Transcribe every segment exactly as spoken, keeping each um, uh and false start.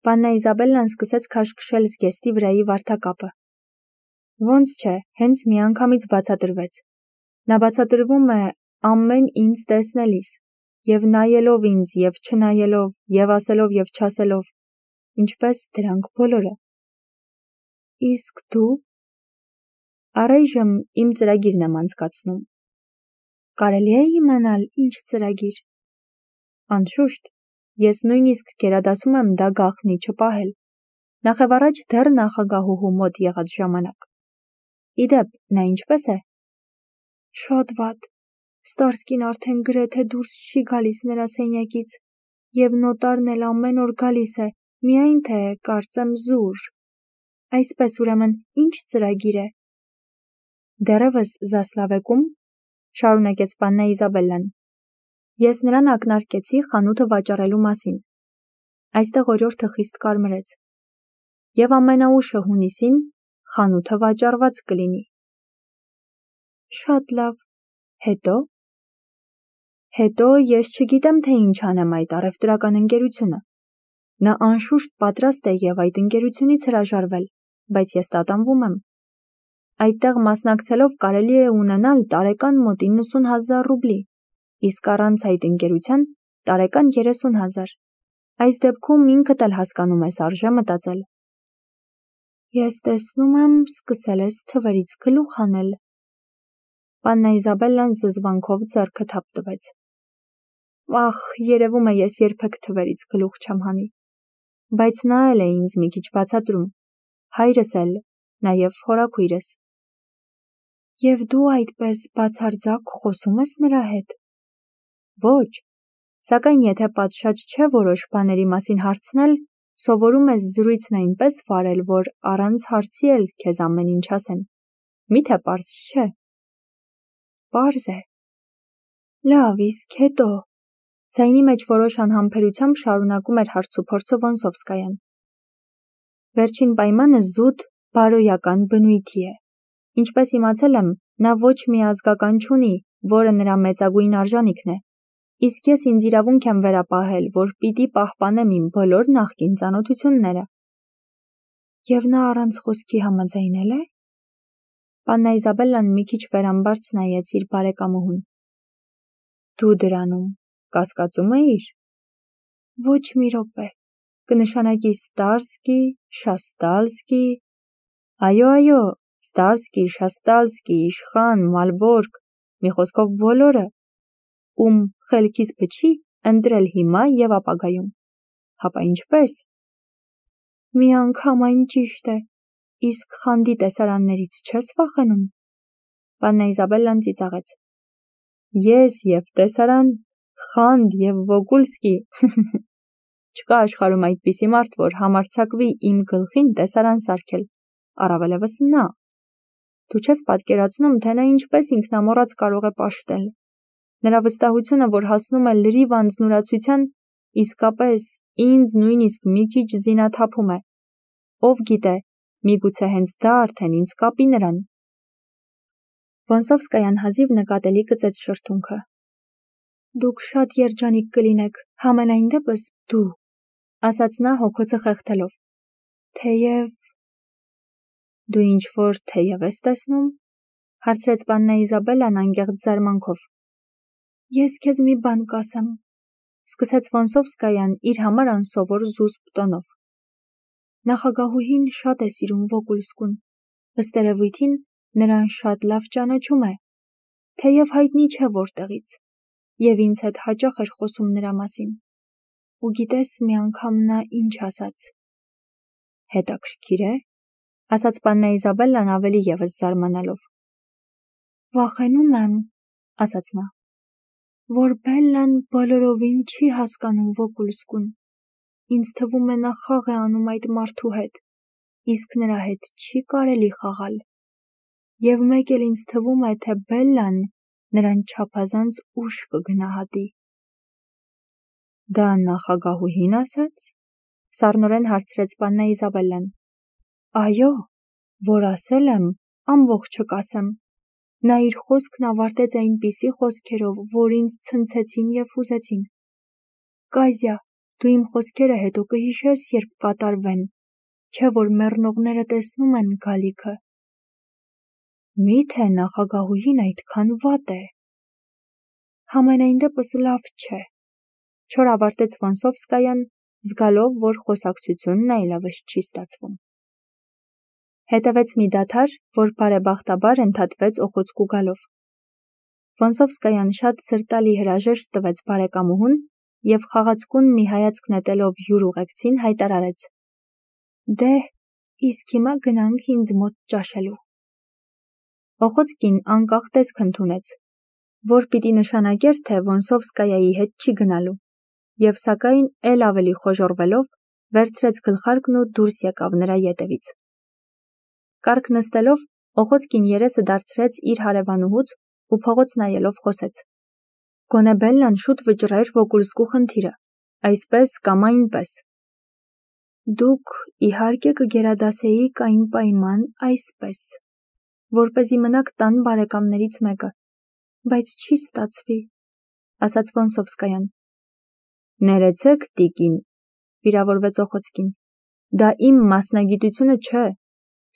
Պաննա Իզաբելլան սկսեց քաշքշել զգեստի վրայի վարդակապը։ Ոնց չէ, հենց միանգամից բացատրվեց։ Նա բացատրվում է ամեն ինձ տեսնելիս, և նայելով ինձ, և չնայելով, և ասելով, և չասելով, ինչպես դրանք բոլորը։ Իսկ դու… Առայժմ իմ ծրագիրն եմ անցկացնում։ Կարելի է իմանալ ինչ ծրագիր։ Անշուշտ, ես նույնիսկ գերադասում եմ դա գաղտնի չպահել, նախևառաջ դեռ նախագահուհու մոտ եղած ժամանակ։ Իդեպ, նա ինչպե՞ս է։ Շատ վատ։ Ստարսկին արդեն գրեթե դուրս չի գալիս նրա սենյակից, և նոտարն էլ ամեն օր գալիս է, միայն թե, կարծեմ, զուր։ Այսպես, ուրեմն, ինչ ծրագիր է։ Դեռևս Զասլավեկում, շարունակեց պաննա Իզաբելլան, ես նրան ակնարկեցի խանութը վաճառելու մասին։ Այստեղ օրիորդը խիստ կարմրեց։ Եվ ամենաուշը հունիսին խանութը վաճառված կլինի։ Շատ լավ, հետո… Հետո ես չգիտեմ, թե ինչ անեմ այդ առևտրական ընկերությունը։ Նա անշուշտ պատրաստ է և այդ ընկերությունից հրաժարվել, բայց ես տատանվում եմ։ Այդտեղ մասնակցելով կարելի է ունենալ տարեկան մոտ իննսուն հազար ռուբլի, իսկ առանց այդ ընկերության տարեկան երեսուն հազար։ Այս դեպքում ինքդ էլ հասկանում ես արժե մտածել։ Ես տեսնում եմ, սկսել ես թվերից գլուխ հանել։ Պաննա Իզաբելլան զզվանքով ձեռքը թափ տվեց։ Ախ, երևում է ես երբեք թվերից գլուխ չեմ հանի։ Բայց նա էլ է ինձ մի քիչ բացատրում, հայրս էլ, նաև հորաքույրս։ Եվ դու այդպես բացարձակ խոսում ես նրա հետ։ Ոչ, սակայն եթե պատշաճ չէ որոշ բաների մասին հարցնել, սովորում ես զրույցն այնպես վարել, որ առանց հարցի էլ քեզ ամեն ինչ ասեն։ Մի՞թե պարզ չէ։ Պարզ է։ Լավ, իսկ հետո… Ձայնի մեջ որոշ անհամբերությամբ շարունակում էր հարցուփորձը Վոնսովսկայան։ Վերջին պայմանը զուտ, բարոյական բնույթի է։ Ինչպես իմացել եմ, նա ոչ մի ազգական չունի, որը նրա մեծագույն արժանիքն է, իսկ ես ինձ իրավունք եմ վերապահել, որ պիտի պահպանեմ իմ բոլոր նախկին ծանոթությունները։ Եվ նա առանց խոսքի համաձայնել է։ Պաննա Իզաբելլան մի քիչ վերամբարձ նայեց իր բարեկամուհուն։ Դու դրանում կասկածում էիր։ Ոչ մի րոպե, կնշանակի Ստարսկի, Շաստալսկի… Այո, այո, Ստարսկի, Շաստալսկի, Իշխան, Մալբորգ, մի խոսքով բոլորը, ում խելքիս փչի ընտրել հիմա և ապագայում։ Հապա ինչպես։ Միանգամայն ճիշտ է, իսկ խանդի տեսարաններից չես վախենում։ Պաննա Իզաբելլան ծիծաղեց։ Ես և տեսարան, խանդ և Վոգուլսկի… Չկա աշխարհում այդպիսի մարդ, որ համարձակվի իմ գլխին տեսարան սարքել, առավելևս նա։ Դու չես պատկերացնում, թե նա ինչպես ինքնամոռաց կարող է պաշտել։ Նրա վստահությունը, որ հասնում է լրիվ անձնուրացության, իսկապես ինձ նույնիսկ մի քիչ զինաթափում է։ Ով գիտե, միգուցե հենց դա արդեն ինձ կապի նրան։ Վոնսովսկայան հազիվ նկատելի կծեց շրթունքը։ Դուք շատ երջանիկ կլինեք, համենայն դեպս դու, ասաց նա հոգոցը խեղդելով։ Թեև… Դու ինչ-որ թեև ես տեսնում, հարցրեց պաննա Իզաբելլան անկեղծ զարմանքով։ Ես քեզ մի բան կասեմ, սկսեց Վոնսովսկայան իր համար անսովոր զուսպ տոնով։ Նախագահուհին շատ է սիրում Վոգուլսկուն, ըստ երևույթին նրան շատ լավ ճանաչում է, թեև հայտնի չէ որտեղից, և ինձ հետ հաճախ էր խոսում նրա մասին։ Ու գիտես մի անգամ նա ինչ ասաց։ Հետաքրքիր է, ասաց պաննա Իզաբելլան ավելի ևս զարմանալով։ Վախենում եմ, ասաց նա, որ Բելլան բոլորովին չի հասկանում Վոգուլսկուն։ Ինձ թվում է նա խաղ է անում այդ մարդու հետ, իսկ նրա հետ չի կարելի խաղալ։ Եվ մեկ էլ ինձ թվում է, թե Բելլան նրան չափազանց ուշ կգնահատի։ Դա նախագահուհի՞ն ասաց, սառնորեն հարցրեց պաննա Իզաբելլան։ Այո, որ ասել եմ, ամբողջը կասեմ։ Նա իր խոսքն ավարտեց այնպիսի խոսքերով, որ ինձ ցնցեցին և հուզեցին։ Կազյա, Դու իմ խոսքերը հետո կհիշես, երբ կատարվեն, չէ որ մեռնողները տեսնում են գալիքը։ Միթե նախագահուհին այդքան վատ է։ Համենայն դեպս լավ չէ, չոր ավարտեց Վոնսովսկայան, զգալով, որ խոսակցությունն այլևս չի ստացվում։ Հետևեց մի դադար, որ բարեբախտաբար ընդհատվեց օխոցկու գալով։ Վոնսովսկայան շատ սրտալի հրաժեշտ տվեց բարեկամուհուն և խաղացկուն մի հայացք նետելով յուր ուղեկցին հայտարարեց. Դե, իսկ հիմա գնանք ինձ մոտ ճաշելու։ Օխոցկին անկախ տեսք ընդունեց, որ պիտի նշանակեր, թե Վոնսովսկայայի հետ չի գնալու, և սակայն էլ ավելի խոժոռվելով վերցրեց գլխարկն ու դուրս եկավ նրա ետևից։ Կառք նստելով, Օխոցկին երեսը դարձրեց իր հարևանուհուց ու փողոց նայելով խոսեց. Գոնե Բելլան շուտ վճռեր Վոկուլսկու խնդիրը, այսպես կամ այնպես։ Դուք իհարկե կգերադասեիք այն պայման այսպես, որպեսզի մնաք տան բարեկամներից մեկը, բայց չի ստացվի, ասաց Վոնսովսկայան։ Ներեցեք, տիկին, վիրավորվեց Օխոցկին, դա իմ մասնագիտությունը չէ,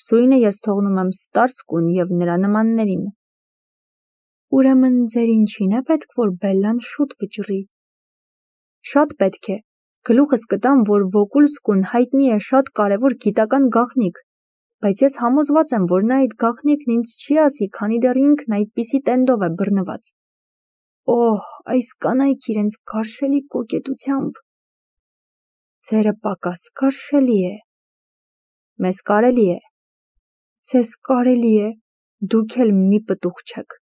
սույնը ես թողնում եմ ստարցկուն և նրա նմաններին։ Ուրեմն ձեր ինչին է պետք, որ Բելլան շուտ վճռի։ Շատ պետք է, գլուխս կտամ, որ Վոկուլսկուն հայտնի է շատ կարևոր գիտական գաղտնիք, բայց ես համոզված եմ, որ նա այդ գաղտնիքն ինձ չի ասի, քանի դեռ ինքն այդպիսի տենդով է բռնված։ Օհ, այս կանայք իրենց գարշելի կոկետությամբ։ Ձերը պակաս գարշելի է։ Մեզ կարելի է։ Ձեզ կարելի է, դուք էլ մի պտուղ չեք,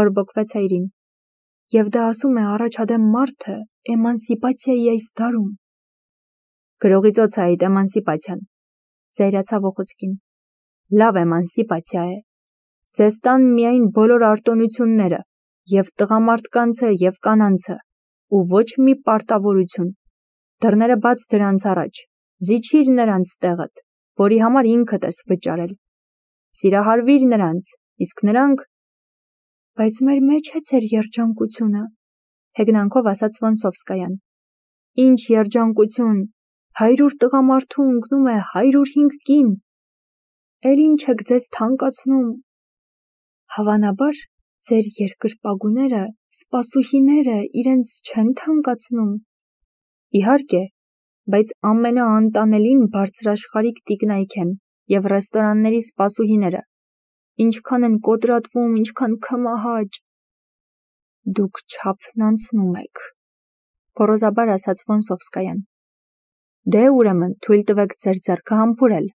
բորբոքվեց հայրին, և դա ասում է առաջադեմ մարդը էմանսիպացիայի այս դարում։ Գրողի ծոց է այդ էմանսիպացիան, զայրացավ Օխոցկին։ Լավ էմանսիպացիա է։ Ձեզ տան միայն բոլոր արտոնությունները, և տղամարդկանցը, և կանանցը, ու ոչ մի պարտավորություն։ Դռները բաց դրանց առաջ, զիջիր նրանց տեղդ, որի համար ինքդ ես վճարել։ Սիրահարվիր նրանց, իսկ նրանք… Բայց մեր մեջ է ձեր երջանկությունը, հեգնանքով ասաց Վոնսովսկայան։ Ինչ երջանկություն, հարյուր տղամարդու ընկնում է հարյուր հինգ կին։ Էլ ինչ եք ձեզ թանկացնում։ Հավանաբար, ձեր երկրպագուները, սպասուհիները իրենց չեն թանկացնում։ Իհարկե, բայց ամենաանտանելին բարձրաշխարհիկ տիկնայք են և ռեստորանների սպասուհիները, ինչքան են կոտրատվում, ինչքան քմահաճ։ Դուք չափն անցնում եք, գոռոզաբար ասաց Վոնսովսկայան։ Դե ուրեմն թույլ տվեք ձեր ձեռքը համբուրել,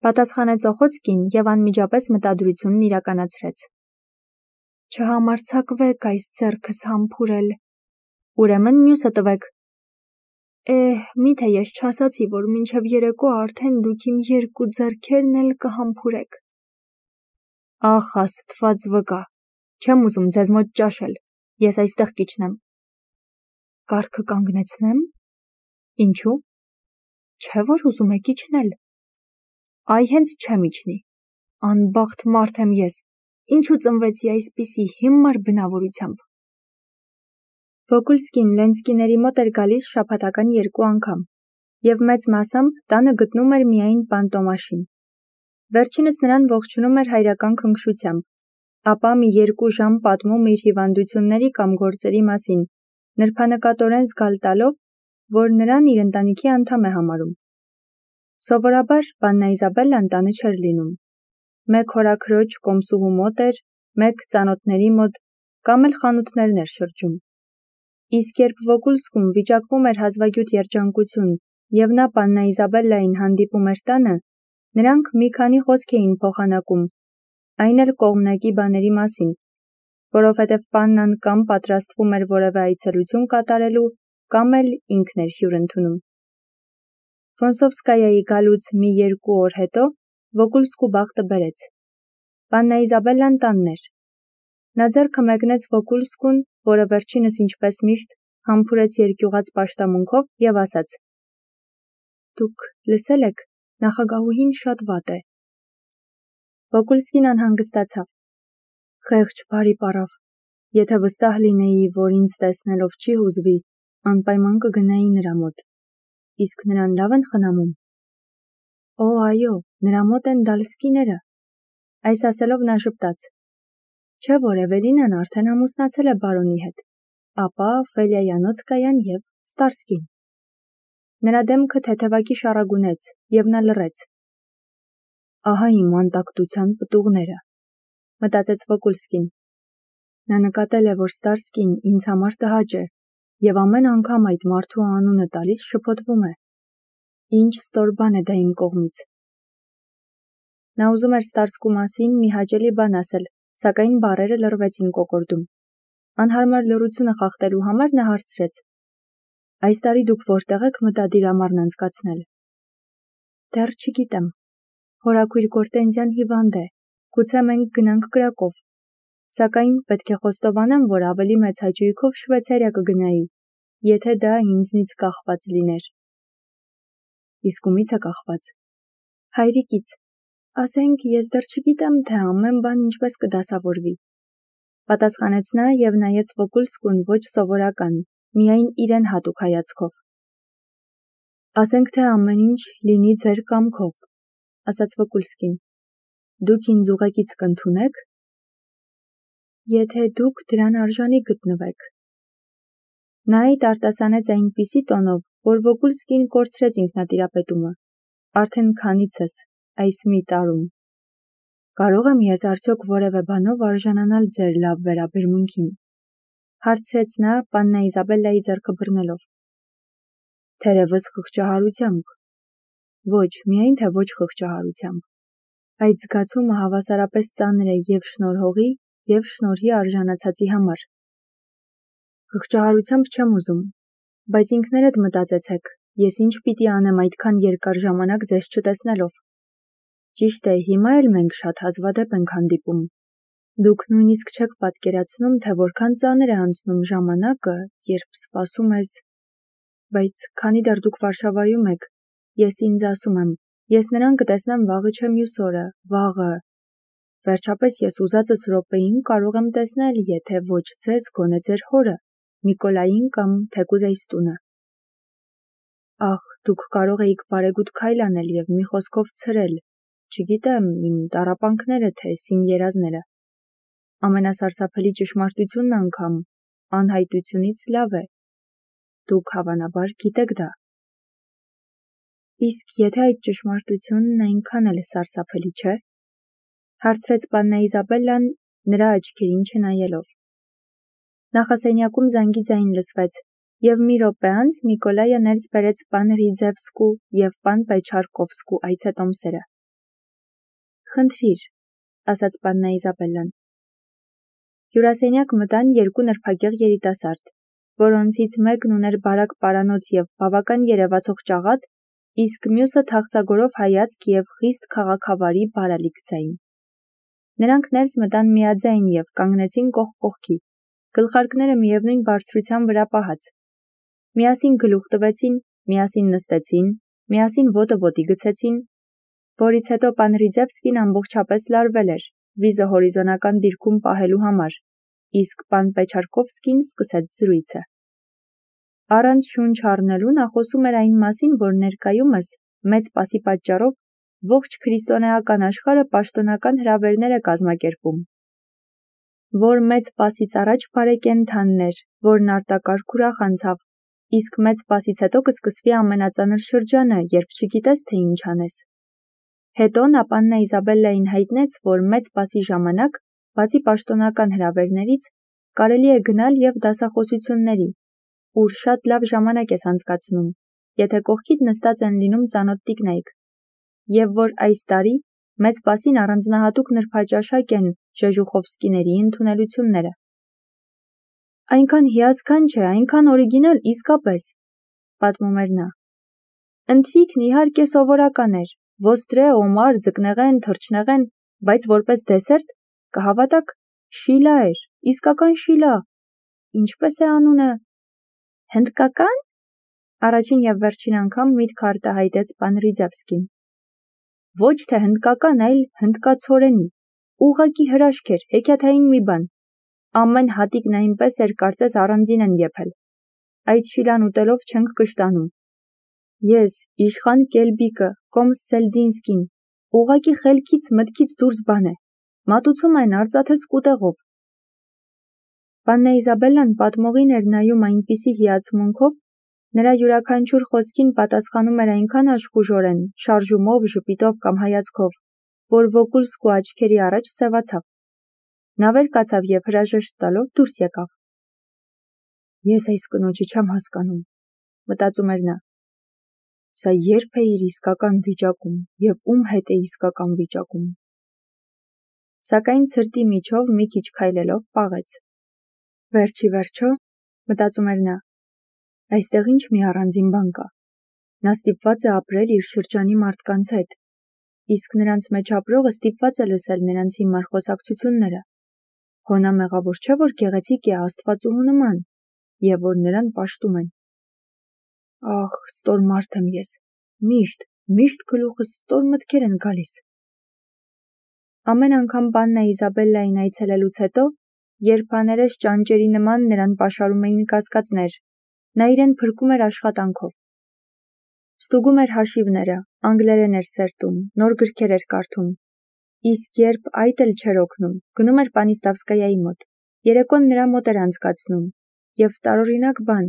պատասխանեց Օխոցկին և անմիջապես մտադրությունն իրականացրեց։ Չհամարձակվեք այս ձեռքս համբուրել, ուրեմն մյուսը տվեք։ Էհ, միթե ես չասացի, որ մինչև երեկո արդեն դուք իմ երկու ձեռքերն էլ կհամբուրեք։ Ախ, Աստված վկա, չեմ ուզում ձեզ մոտ ճաշել, ես այստեղ կիջնեմ։ Կառքը կանգնեցնե՞մ։ Ինչու։ Չէ՞ որ ուզում եք իջնել։ Այ հենց չեմ իջնի։ Անբախտ մարդ եմ ես, ինչու ծնվեցի այսպիսի հիմար բնավորությամբ։ Վոկուլսկին Լենսկիների մոտ էր գալիս շաբաթական երկու անգամ, և մեծ մասամբ տանը գտնում էր միայն պանտոմաշին։ Վերջինս նրան ողջունում էր հայրական քնքշությամբ, ապա մի երկու ժամ պատմում իր հիվանդությունների կամ գործերի մասին, նրբանկատորեն զգալ տալով, որ նրան իր ընտանիքի անդամ է համարում։ Սովորաբար Բաննա Իզաբելլան տանը չէր լինում։ Մեկ հորաքրոջ կոմսուհու մոտ էր, մեկ ծանոթների մոտ, կամ էլ խանութներն էր շրջում։ Իսկ երբ Վոկուլսկում վիճակվում էր հազվագյուտ երջանկություն, և նա Բաննա Իզաբելլային հանդիպում էր տանը, նրանք մի քանի խոսք էին փոխանակում, այն էլ կողմնակի բաների մասին, որովհետև Պաննան կամ պատրաստվում էր որևէ այցելություն կատարելու, կամ էլ ինքն էր հյուր ընդունում։ Վոնսովսկայայի գալուց մի երկու օր հետո Վոկուլսկու բախտը բերեց։ Բաննա Իզաբելլան տանն էր։ Նա ձեռքը մեկնեց Վոկուլսկուն, որը վերջինս ինչպես միշտ համբուրեց երկյուղած պաշտամունքով և ասաց. Դուք լսել եք, նախագահուհին շատ վատ է։ Վոկուլսկին անհանգստացավ։ Խեղճ բարի պառավ, եթե վստահ լինեի, որ ինձ տեսնելով չի հուզվի, Անպայման կգնայի նրա մոտ, իսկ նրան լավ են խնամում։ Օ, այո, նրա մոտ են դալսկիները։ Այս ասելով նա ժպտաց։ Չէ՞ որ Էվելինան արդեն ամուսնացել է բարոնի հետ, ապա Ֆելիայանոցկայան և Ստարսկին։ Նրա դեմքը թեթևակի շառագունեց, և նա լռեց։ Ահա իմ անտակտության պտուղները, մտածեց Վոկուլսկին։ Նա նկատել է, որ Ստարսկին ինձ համար տհաճ է, և ամեն անգամ այդ մարդու անունը տալիս շփոթվում է։ Ինչ ստոր բան է դա իմ կողմից։ Նա ուզում էր Ստարսկու մասին մի հաճելի բան ասել, սակայն բառերը լռվեցին կոկորդում։ Անհարմար լռությունը խախտելու համար նա հարցրեց. Այս տարի դուք որտեղ եք մտադիր ամառն անցկացնել։ Դեռ չգիտեմ։ Հորաքույր Գորտենզյան հիվանդ է, գուցե մենք գնանք Կրակով։ Սակայն պետք է խոստովանեմ, որ ավելի մեծ հաճույքով Շվեյցարիա կգնայի, եթե դա ինձնից կախված լիներ։ Իսկ ումից է կախված։ Հայրիկից։ Ասենք, ես դեռ չգիտեմ, թե ամեն բան ինչպես կդասավորվի։ Պատասխանեց նա և նայեց Վոկուլսկուն ոչ սովորական, միայն իրեն հատուկ հայացքով։ Ասենք, թե ամեն ինչ լինի ձեր կամքով, ասաց Վոկուլսկին։ Դուք ինձ ուղեկից կընդունեք։ Եթե դուք դրան արժանի գտնվեք։ Նա այդ արտասանեց այնպիսի տոնով, որ Վոկուլսկին կորցրեց ինքնատիրապետումը։ Արդեն քանիցս այս մի տարում։ Կարող եմ ես արդյոք որևէ բանով արժանանալ ձեր լավ վերաբերմունքին, հարցրեց նա պաննա Իզաբելլայի ձեռքը բռնելով։ Թերևս խղճահարությամբ։ Ոչ, միայն թե ոչ խղճահարությամբ։ Այդ զգացումը հավասարապես ծանր է և շնորհողի, և շնորհի արժանացածի համար։ Խղճահարությամբ չեմ ուզում, բայց ինքներդ մտածեցեք, ես ինչ պիտի անեմ այդքան երկար ժամանակ ձեզ չտեսնելով։ Ճիշտ է, հիմա էլ մենք շատ հազվադեպ ենք հանդիպում։ Դուք նույնիսկ չեք պատկերացնում, թե որքան ծանր է անցնում ժամանակը, երբ սպասում ես։ Բայց քանի դեռ դուք Վարշավայում եք, ես ինձ ասում եմ, ես նրան կտեսնեմ վաղը չէ մյուս օրը, վաղը։ Վերջապես ես ուզածս րոպեին կարող եմ տեսնել, եթե ոչ ձեզ, գոնե ձեր հորը, Նիկոլային կամ թեկուզ այս տունը։ Ախ, դուք կարող էիք բարեգութ քայլ անել և մի խոսքով ցրել, չգիտեմ, իմ տառապանքները, թե իմ երազները։ Ամենասարսափելի ճշմարտությունն անգամ անհայտությունից լավ է։ Դուք հավանաբար գիտեք դա։ Իսկ եթե այդ ճշմարտությունն այնքան էլ սարսափելի չէ, հարցրեց պաննա Իզաբելլան նրա աչքերին չնայելով։ Նախասենյակում զանգի ձայն լսվեց, և մի րոպե անց Միկոլայը ներս բերեց պան Ռիձևսկու և պան Պեչարկովսկու այցետոմսերը։ Խնդրիր, ասաց պաննա Իզաբելլան։ Հյուրասենյակ մտան երկու նրբագեղ երիտասարդ, որոնցից մեկն ուներ բարակ պարանոց և բավական երևացող ճաղատ, իսկ մյուսը թախծագորով հայացք և խիստ քաղաքավարի բարալիկ ձայն։ Նրանք ներս մտան միաձայն և կանգնեցին կողք կողքի, գլխարկները միևնույն բարձրության վրա պահած։ Միասին գլուխ տվեցին, միասին նստեցին, միասին ոտը ոտի գցեցին, որից հետո պան Ռիձևսկին ամբողջապես լարվել էր, վիզը հորիզոնական դիրքում պահելու համար, իսկ պան Պեչարկովսկին սկսեց զրույցը։ Առանց շունչ առնելու նա խոսում էր այն մասին, որ ներկայումս, մեծ պասի պատճառով, ողջ քրիստոնեական աշխարհը պաշտոնական հրավերներ է կազմակերպում, որ մեծ պասից առաջ բարեկենդանն էր, որն արտակարգ ուրախ անցավ, իսկ մեծ պասից հետո կսկսվի ամենածանր շրջանը, երբ չգիտես, թե ինչ անես։ Հետո նա պաննա Իզաբելլային հայտնեց, որ մեծ պասի ժամանակ, բացի պաշտոնական հրավերներից, կարելի է գնալ և դասախոսությունների, ուր շատ լավ ժամանակ ես անցկացնում, եթե կողքիդ նստած են լինում ծանոթ տիկնայք, և որ այս տարի մեծ պասին առանձնահատուկ նրբաճաշակ են Ժեժուխովսկիների ընդունելությունները։ Այնքան հիասքանչ է, այնքան օրիգինալ, իսկապես, պատմում էր նա։ Ընթրիքն իհարկե սովորական էր, ոստրե, օմար, ձկնեղեն, թռչնեղեն, բայց որպես դեսերտ, կհավատաք, շիլա էր, իսկական շիլա։ Ինչպես է անունը։ Հնդկական։ Առաջին և վերջին անգամ միտքը արտահայտեց պան Ռիձևսկին։ Ոչ թե հնդկական, այլ հնդկացորենի, ուղղակի հրաշք էր, հեքիաթային մի բան։ Ամեն հատիկն այնպես էր, կարծես առանձին են եփել։ այդ շիլան ուտելով չենք կշտանում։ Ես, իշխան Կելբիկը, կոմս Սելձինսկին, ուղղակի խելքից մտքից դուրս բան է, մատուցում այն արծաթե սկուտեղով։ Պաննա Իզաբելլան պատմողին էր նայում այնպիսի հիացմունքով, նրա յուրաքանչյուր խոսքին պատասխանում էր այնքան աշխուժորեն, շարժումով, ժպիտով կամ հայացքով, որ Վոկուլսկու աչքերի առաջ սևացավ։ Նա վեր կացավ և հրաժեշտ տալով դուրս եկավ։ Ես այս կնոջը չեմ հասկանում, մտածում էր նա։ Սա երբ է իր իսկական վիճակում և ում հետ է իսկական վիճակում։ Սակայն ցրտի միջով մի քիչ քայլելով պաղեց։ Վերջի վերջո, մտածում էր նա, այստեղ ինչ մի առանձին բան կա։ Նա ստիպված է ապրել իր շրջանի մարդկանց հետ, իսկ նրանց մեջ ապրողը ստիպված է լսել նրանց հիմար խոսակցությունները։ Հոնա մեղավոր չէ, որ գեղեցիկ է աստվածուհու նման, և որ նրան պաշտում են։ Ախ, ստոր մարդ եմ ես, միշտ, միշտ գլուխս ստոր մտքեր են գալիս։ Ամեն անգամ Պաննա Իզաբելլային այցելելուց հետո, երբ աներես ճանճերի նման նրան պաշարում էին կասկածներ, նա իրեն փրկում էր աշխատանքով։ Ստուգում էր հաշիվները, անգլերեն էր սերտում, նոր գրքեր էր կարդում։ Իսկ երբ այդ էլ չէր օգնում, գնում էր Պանիստավսկայայի մոտ, երեկոն նրա մոտ էր անցկացնում, և տարօրինակ բան,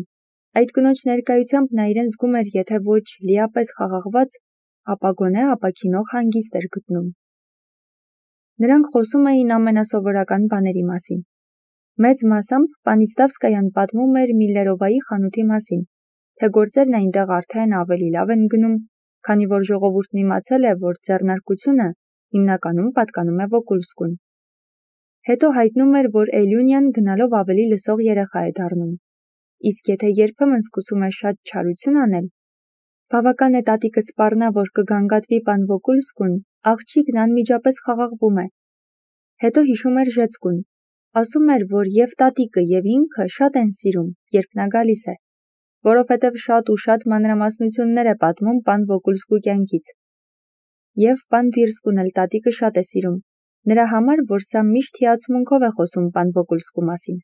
այդ կնոջ ներկայությամբ նա իրեն զգում էր եթե ոչ լիապես խաղաղված, ապա գոնե ապաքինող հանգիստ էր գտնում։ Նրանք խոսում էին ամենասովորական բաների մասին։ Մեծ մասամբ Պանիստավսկայան պատմում էր Միլլերովայի խանութի մասին, թե գործերն այնտեղ արդեն ավելի լավ են գնում, քանի որ ժողովուրդն իմացել է, որ ձեռնարկությունը հիմնականում պատկանում է Վոկուլսկուն։ Հետո հայտնում էր, որ Էլյունյան գնալով ավելի լսող երեխա է դառնում, իսկ եթե երբեմն սկսում է շատ չարություն անել, բավական է տատիկը սպառնա, որ կգանգատվի պան Վոկուլսկուն, աղջիկն անմիջապես խաղաղվում է։ Հետո հիշում էր Ժեցկուն, ասում էր, որ և տատիկը և ինքը շատ են սիրում, երբ նա գալիս է, որովհետև շատ ու շատ մանրամասնություններ է պատմում պան Վոկուլսկու կյանքից։ Եվ պան Վիրսկուն էլ տատիկը շատ է սիրում, նրա համար, որ սա միշտ հիացմունքով է խոսում պան Վոկուլսկու մասին։